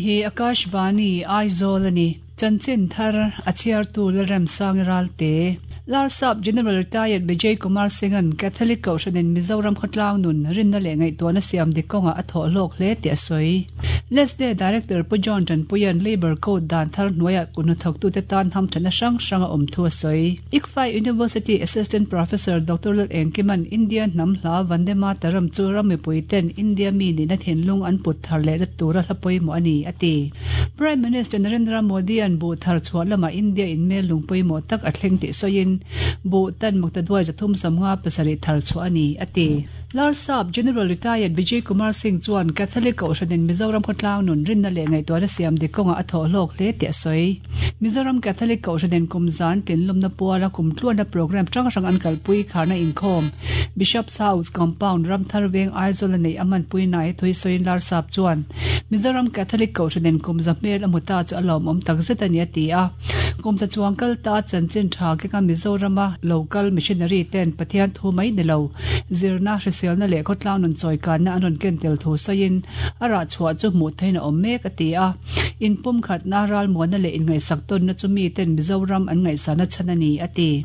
hi Akashvani, Aizawl a ni. Chanchin thar a chhiartu Lalremsangi Ralte. Larsap General Retired Vijay Kumar Singh-a'n Catholic Kohhranin Mizoram khawtlang nun rinna leh ngaihtuahna siam dik kawngah a thawh hlawk hle tih a sawi. Lesde Director Pu John Tanpuia'n Labour Code dan thar hnuaiah kut hnathawktute tan hamthatna hrang hrang a awm thu a sawi. ICFAI University Assistant Professor Doctor Lal Engkima'n India hnam hla Vande Mataram chu ram mipui ten India mi nihna thinlung an put thar lehna tura hla pawimawh a ni, a ti. Prime Minister Narendra Modi-a'n buh thar chhuah lamah India in mel lung pawimawh tak a thleng tih sawiin, buh tan maktaduai 357 thar chhuah a ni, a ti. Larsap General Retired Vijay Kumar Singh chuan Catholic Kohhranin Mizoram khawtlang nun rinna leh ngaihtuahna siam dik kawngah a thawh hlawk hle tih a sawi. Mizoram Catholic Kohhranin kum zan tlinlawmna puala kum tluanna programme hrang hrang an kalpui kharna inkhawm Bishop's House Compound Ramthar Veng Aizawl a neih a hmanpui nai thui sawiin Larsap chuan Mizoram Catholic Kohhranin kum za hmel a hmu ta chu a lawmawm takzet a ni a ti a. Kum za chuang kal ta chanchin tha kenga Mizorama local missionary ten Pathian thu mai ni lo, zirna, hriselna leh khawtlang nun chawikanna an rawn ken tel thu sawiin a rah chhuah chu hmuh theihin a awm mek a ti a. Inpumkhatna, ralmuanna leh inngaihsak tawnna chu miten Mizoram an ngaihsana chhan a ni a ti.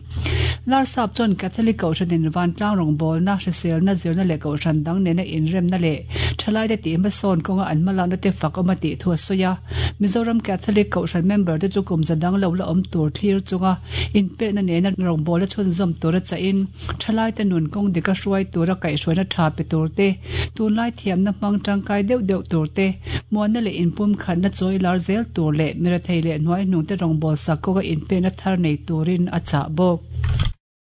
Larsap chuan Catholic Kohhranin vantlang rawngbawlna, hriselna, zirna leh kohhran dang nena inremna leh thalaite tih hmasawn kawnga an hmalakna te fak awm a tih thu a sawi a. Mizoram Catholic Kohhran member te chu kum za dang lo la awm tur thlir chunga inpekna nena rawngbawlna chhunzawm tura chahin thalaite nun kawng dika hruai tura kaihhruaina tha pe tur te, tunlai thiamna hmang tangkai deuh deuh tur te, muanna leh inpumkhatna chawi lar zel tur leh mirethei leh hnuaihnungte rawngbawlsak kawnga inpekna thar nei turin a chah bawk.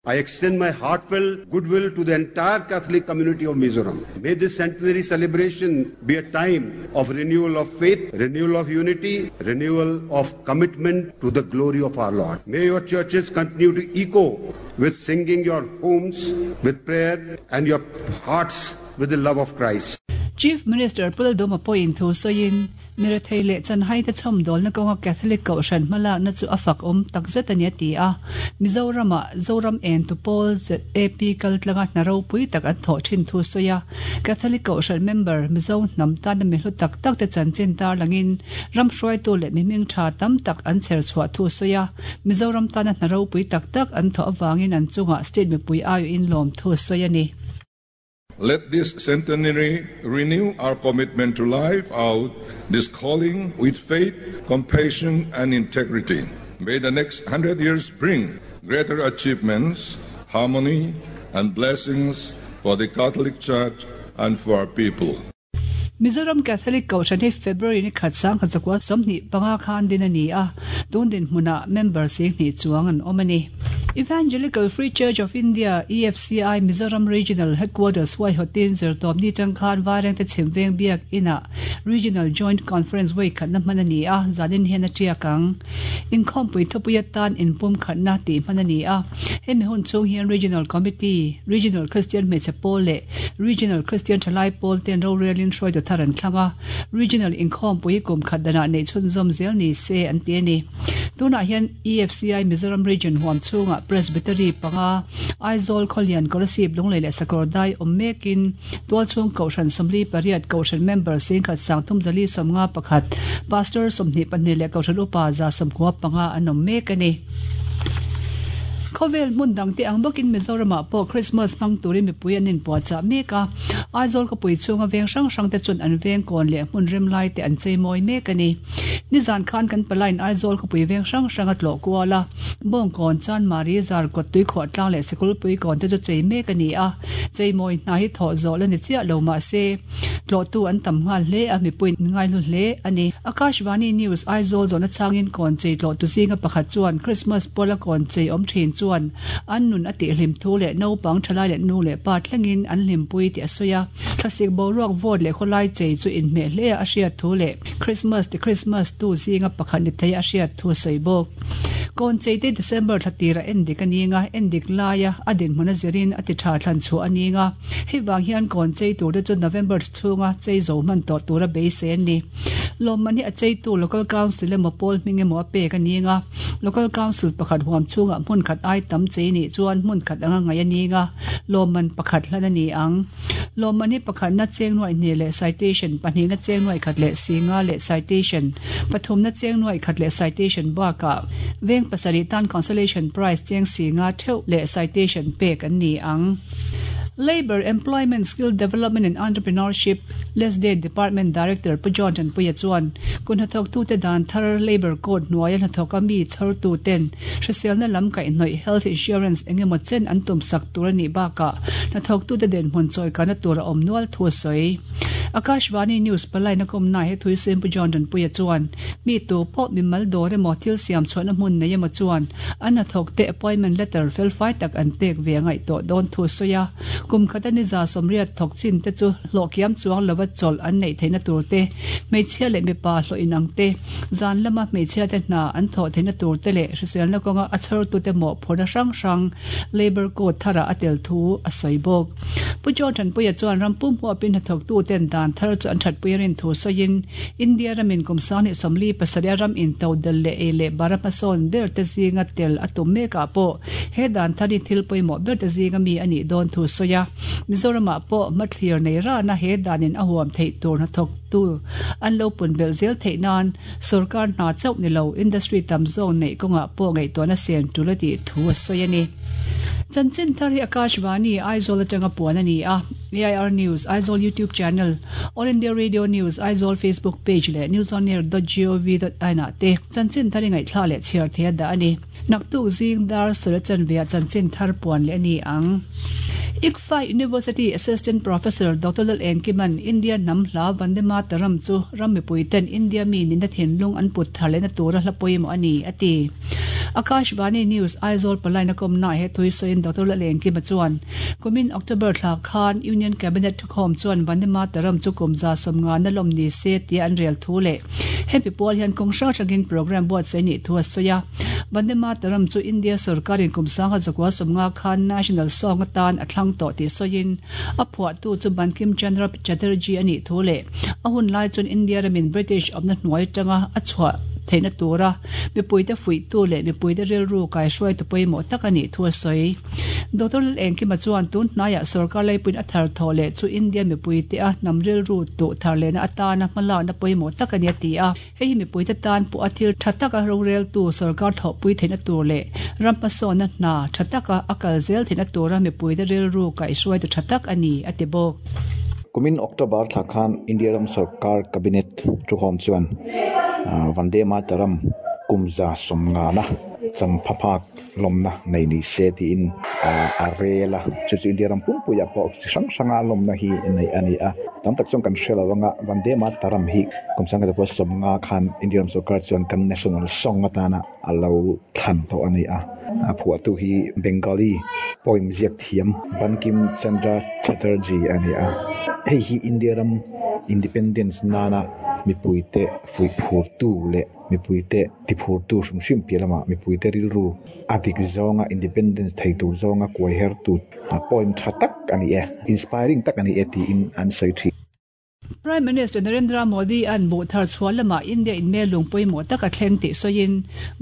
I extend my heartfelt goodwill to the entire Catholic community of Mizoram. May this centenary celebration be a time of renewal of faith, renewal of unity, renewal of commitment to the glory of our Lord. May your churches continue to echo with singing your homes with prayer and your hearts with the love of Christ. Chief Minister Pu Lalduhma pawhin thu sawiin, Mirethei leh chanhaite chhawmdawlna kawnga Catholic Kohhran hmalakna chu a fak awm takzet a ni a ti a. Mizoramah Zoram Entu Pawl ZAP kaltlanga hna ropui tak an thawh thin thu sawi a. Catholic Kohhran member Mizo hnam tana mi hlu tak tak te chanchin tarlangin ram hruaitu leh mi hming tha tam tak an chher chhuah thu sawi a. Mizoram tana hna ropui tak tak an thawh avangin an chungah state mipui aiawhin lawm thu sawi a ni. Let this centenary renew our commitment to live out this calling with faith, compassion, and integrity. May the next 100 years bring greater achievements, harmony, and blessings for the Catholic Church and for our people. Mizoram Catholic Kohhran hi February ni khat 1925 khan din a ni a, tun dinhmunah member 20 chuang an awm a ni. Evangelical Free Church of India, EFCI, Mizoram Regional Headquarters huaihawtin zirtawpni tang khan Vairengte Chhimveng Biak Inah Regional Joint Conference vawi khatna hman a ni a, zanin hian a tiak ang. Inkhawmpui thupui atan inpum khatna tih hman a ni a, hemi hun chhung hian Regional Committee, Regional Christian Hmeichhe Pawl leh Regional Christian Thalai Pawl ten rorelin hruaitu thar an thlang a, Regional inkhawmpui hi kum khat danah neih chhunzawm zel ni se an ti a ni. Tunah hian EFCI Mizoram Region huam chhungah Presbytery panga, Aizawl, Khawlian, Kolasib, Lunglei leh Sakawrdai awm mekin Tualchhung Kohhran 48, Kohhran member 1351, Pastor 22 leh Kohhran Upa 95 an awm mek a ni. Khawvel hmun dangte ang bawkin Mizoramah pawh Christmas hmang turin mipui an inpuahchah mek a, Aizawl khawpui chhunga veng hrang hrangte chuan an veng kawn leh hmun rem laite an cheimawi mek a ni. Nizan khan kan palain Aizawl khawpui veng hrang hrang a tlawh kual a, Bawngkawn, Chanmari, Zarkawt, Tuikhuahtlang leh Sikulpui kawn te chu chei mek a ni a, cheimawi hna hi thawh zawh la ni chiah lo mahse, Tlawhtu an tam nghal hle a, mipui an ngaihlu hle a ni. Akashvani News Aizawl zawhna changin kawn chei tlawhtu zinga pakhat chuan Christmas pawla kawn chei awm thin chuan an nun a tihhlim thu leh naupang thalai leh nu leh pa thlengin an hlimpui tih a sawi a. Thlasik boruak vote leh khawlai chei chu inhmeh hle a a hriat thu leh Christmas ti Christmas tu zinga pakhat ni thei a hriat thu a sawi bawk. Kawn chei te December thla tirah endik a ning a, endik laia a dinhmun a zirin a ti tha thlan chhuah a ning a. Hei vang hian kawn chei tur te chu November chhunga chei zo hman tawh tura beisei an ni. Lawmman hi a cheitu Local Council emaw pawl hming emaw a pek a ning a, Local Council pakhat huam chhungah hmun khat ai. ai tam chei nih chuan hmun khat anga ngaih a ni nga, lawmman pakhat hlan a ni ang. Lawmman hi pakhatna cheng nuaih hnih leh citation, pahnihna cheng nuaih khat leh singa leh citation, pathumna cheng nuaih khat leh citation bakah veng pasarih tan consolation prize cheng singa theuh leh citation pek an ni ang. Labour, Employment, Skill Development and Entrepreneurship, LESDE, Department Director Pu John Tanpuia chuan kuthnathawktute dan thar Labour Code hnuaia hnathawka mi chhawrtuten hriselna lam kaihhnawih Health Insurance engemaw chen an tumsak tur a nih bakah hnathawktute dinhmun chawikana tur a awm nual thu a sawi. Akashvani News palai na kawmna he Thuisim Pu John Tanpuia chuan mi tu pawh mimal dawr emaw thil siam chhuahna hmun nei emaw chuan an hnathawkte appointment letter felfai tak an pek ve a ngaih tawh dawn thu a sawi a. Kum khata ni 80 thawk chin te chu hlawh kiam chuang lova chawlh an neih theihna tur te, hmeichhia leh mipa hlawh inang te, zan lama hmeichhia te hna an thawh theihna tur te leh hriselna kawnga a chhawrtute mawhphurhna hrang hrang Labour Code tharah a tel thu a sawi bawk. Pu John Thanpuia chuan ram pum huapin hnathawktuten dan thar chu an thatpui a rin thu sawiin, India ramin kum 2047 a ram into del leh ei leh bara hmasawn ber te zinga tel a tum mekah pawh he dan thar hi thil pawimawh ber te zinga mi a nih dawn thu sawi a. Mizoramah pawh hmathlir nei rana he danin a huam theih tur hnathawktu an lo pun belh zel theih nan sorkar hna chauh ni lo industry tam zawk neih kawngah pawh ngaihtuahna sen tul a tih thu a sawi a ni. Chanchin thar hi Akashvani, Aizawl atanga puan a ni a. AIR News, Aizawl YouTube Channel, All India Radio News, Aizawl Facebook Page leh newsonair dot gov dot in ah te chanchin thar i ngaihthla leh chhiar thei a dah a ni. Naktuk zing dar sawla chanve ah chanchin thar puan leh a ni ang. ICFAI University Assistant Professor Doctor Lal Engkiman India hnam hla Vande Mataram chu ram mipui ten India mi nihna thinlung an put thar lehna tura hla pawimawh a ni, a ti. Akashvani News Aizawl palaina kawmnaah he thui sawiin Doctor Lal Engkima chuan Kumin October thla khan Union Cabinet thukhawm chuan Vande Mataram chu kum 150 na lawm ni se tia an rel thu leh hemi pual hian kawng hrang hrangin programme buatsaih nih thu a sawi a. Vande Mataram chu India sorkarin kum 1950 khan National Song atan a thlang tawh tih sawiin a phuahtu chu Bankim Chandra Chatterjee a nih thu leh a hun lai chuan India ramin British awmna hnuai atanga a chhuah theihna tura mipuite fuihtu leh mipuite rilru kaihruaitu pawimawh tak a nih thu a sawi. Doctor Lalengkima chuan tun hnaiah sorkar leipuiin a thar thawh leh chu India mipuite a hnam rilru tuh thar lehna atana hmalakna pawimawh tak a ni a ti a. Hei hi mipuite tan pawh a thil tha taka roreltu sorkar thawhpui theihna tur leh ram hmasawnna hna tha taka a kal zel theihna tura mipuite rilru kaihhruaitu tha tak a ni, a ti bawk. Kumin October thla khan India ram sorkar cabinet thukhawm chuan Vande Mataram kum 150na champhaphak lawmna nei ni se tiin a rel a, chu chu India ram pumpuiah pawh chi hrang hranga lawmna hi neih a ni a, tam tak chuan kan hre lo anga Vande Mataram hi kum 1950 khan India ram sorkar chuan kan national song atana a lo thlan tawh a ni a, a phuahtu hi Bengali poem ziak thiam Bankim Chandra Chatterjee a ni a, hei hi India ram independence nana mipuite fuihphurtu leh Mipuite tiphurtu hrim hrim piah lamah mipuite rilru a dik zawnga independence thei tur zawnga kuai hertu poem tha tak a ni e, inspiring tak a ni e tiin an sawi thin. Prime Minister Narendra Modi a'n buh thar chhuah lamah India in melung pawimawh tak a thleng tih sawiin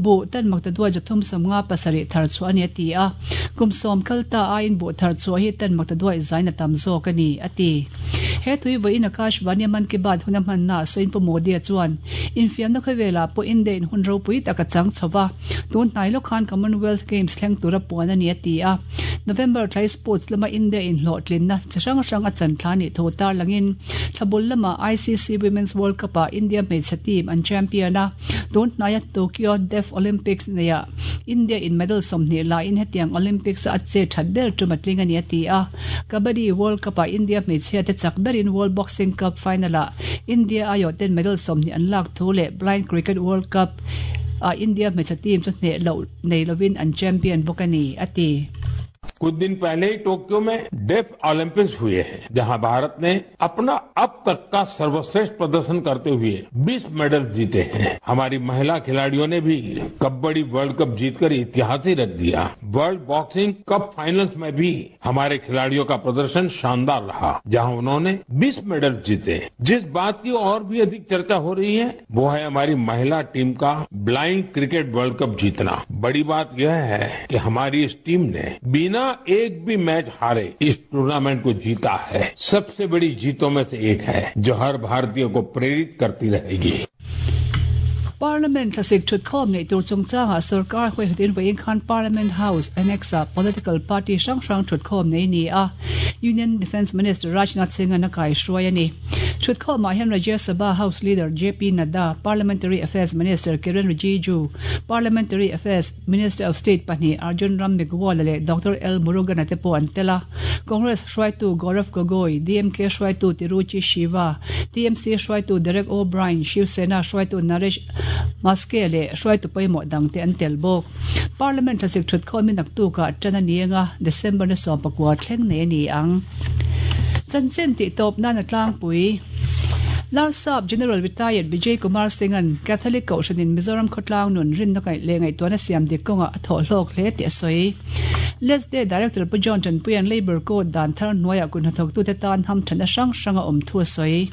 buh tan maktaduai 357 thar chhuah a ni a ti a. Kum sawm kal ta aiin buh thar chhuah hi tan maktaduai zain a tam zawk a ni a ti. He tui vawiin Akashvani Mann Ki Baat huna hmannaah sawiin Pu Modi-a chuan infiamna khawvelah pawh India in hun ropui tak a chang chho va, tun hnai lawk khan Commonwealth Games thleng tura puan a ni a ti a. November thlai sports lama India in hlawhtlinna chi hrang hrang a chan thla nih thu tarlangin thlabul lama ICC Women's World Cup-ah India hmeichhe team an champion a, tun hnaia Tokyo Deaf Olympics neiah India in medal 20 laiin hetiang Olympics-a a che that ber tum a tling a ni a ti a. Kabaddi World Cup-ah India hmeichhia te chak berin World Boxing Cup final-ah India aiawh ten medal 20 an lak thu leh Blind Cricket World Cup ah India hmeichhe team chu hneh loh nei lovin an champion bawk a ni, a ti. कुछ दिन पहले ही टोक्यो में def Olympics हुए हैं, जहां भारत ने अपना अब तक का सर्वश्रेष्ठ प्रदर्शन करते हुए 20 मेडल जीते हैं। हमारी महिला खिलाड़ियों ने भी कबड्डी वर्ल्ड कप जीतकर इतिहास ही रख दिया। World boxing cup finals में भी हमारे खिलाड़ियों का प्रदर्शन शानदार रहा, जहां उन्होंने 20 मेडल जीते। जिस बात की और भी अधिक चर्चा हो रही है, वो है हमारी महिला टीम का blind cricket world cup जीतना। बड़ी बात यह है कि हमारी इस टीम ने बिना एक भी मैच हारे इस टूर्नामेंट को जीता है। सबसे बड़ी जीतों में से एक है, जो हर भारतीय को प्रेरित करती रहेगी। Parliament thlasik thutkhawm neih tur chungchangah sorkar huaihatin vawiin khan Parliament House Annex-ah political party hrang hrang thutkhawm nei ni a, Union Defence Minister Rajnath Singh-a'n a kaihruai a ni. Thutkhawmah hian Rajya Sabha House Leader JP Nadda, Parliamentary Affairs Minister Kiren Rijiju, Parliamentary Affairs Minister of State pahnih Arjun Ram Meghwal leh Doctor L Murugan-a te pawh an tel a. Congress hruaitu Gaurav Gogoi, DMK hruaitu Tiruchi Shiva, TMC hruaitu Derek O'Brien, Shiv Sena hruaitu Naresh Maske leh hruaitu pawimawh dangte an tel bawk. Parliament thlasik thut khawmin naktukah tan a ni anga December ni 19 thleng nei a ni ang. Chanchin tih tawp nan a tlangpui. Larsap General Retired Vijay Kumar Singh-a'n Catholic Kohhranin Mizoram khawtlang nun rinna kaih leh ngaihtuahna siam dik kawngah a thawh hlawk hle tih a sawi. Lesday Director Pu John Tanpuia'n Labour Code dan thar hnuaiah kut hnathawktute tan hamthatna hrang hrang a awm thu a sawi.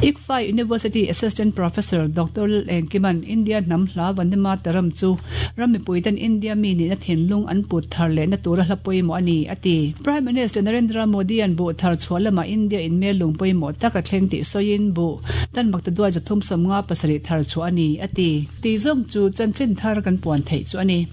ICFAI University Assistant Professor Doctor Lal Engkima'n India hnam hla Vande Mataram chu ram mipuiten India mi nihna thinlung an put thar lehna tura hla pawimawh a ni, a ti. Prime Minister Narendra Modi-a'n buh thar chhuah lamah India in mel lung pawimawh tak a thleng tih sawiin buh tan makta duai 357 thar chhuah a ni, a ti. Tih zawng chu chanchin thar kan puan theih chu a ni.